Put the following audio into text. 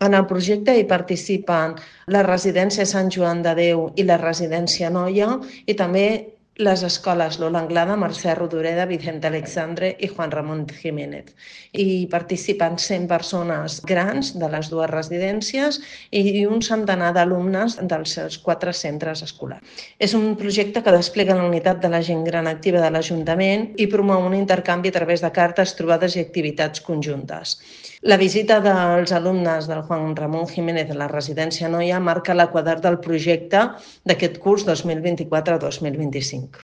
En el projecte hi participen la residència Sant Joan de Déu i la residència Noia i també les escoles Lola Anglada, Mercè Rodoreda, Vicente Alexandre i Juan Ramón Jiménez. Hi participen 100 persones grans de les dues residències i un centenar d'alumnes dels seus 4 centres escolars. És un projecte que desplega la unitat de la gent gran activa de l'Ajuntament i promou un intercanvi a través de cartes, trobades i activitats conjuntes. La visita dels alumnes del Juan Ramón Jiménez a la residència Noia marca l'equador del projecte d'aquest curs 2024-2025.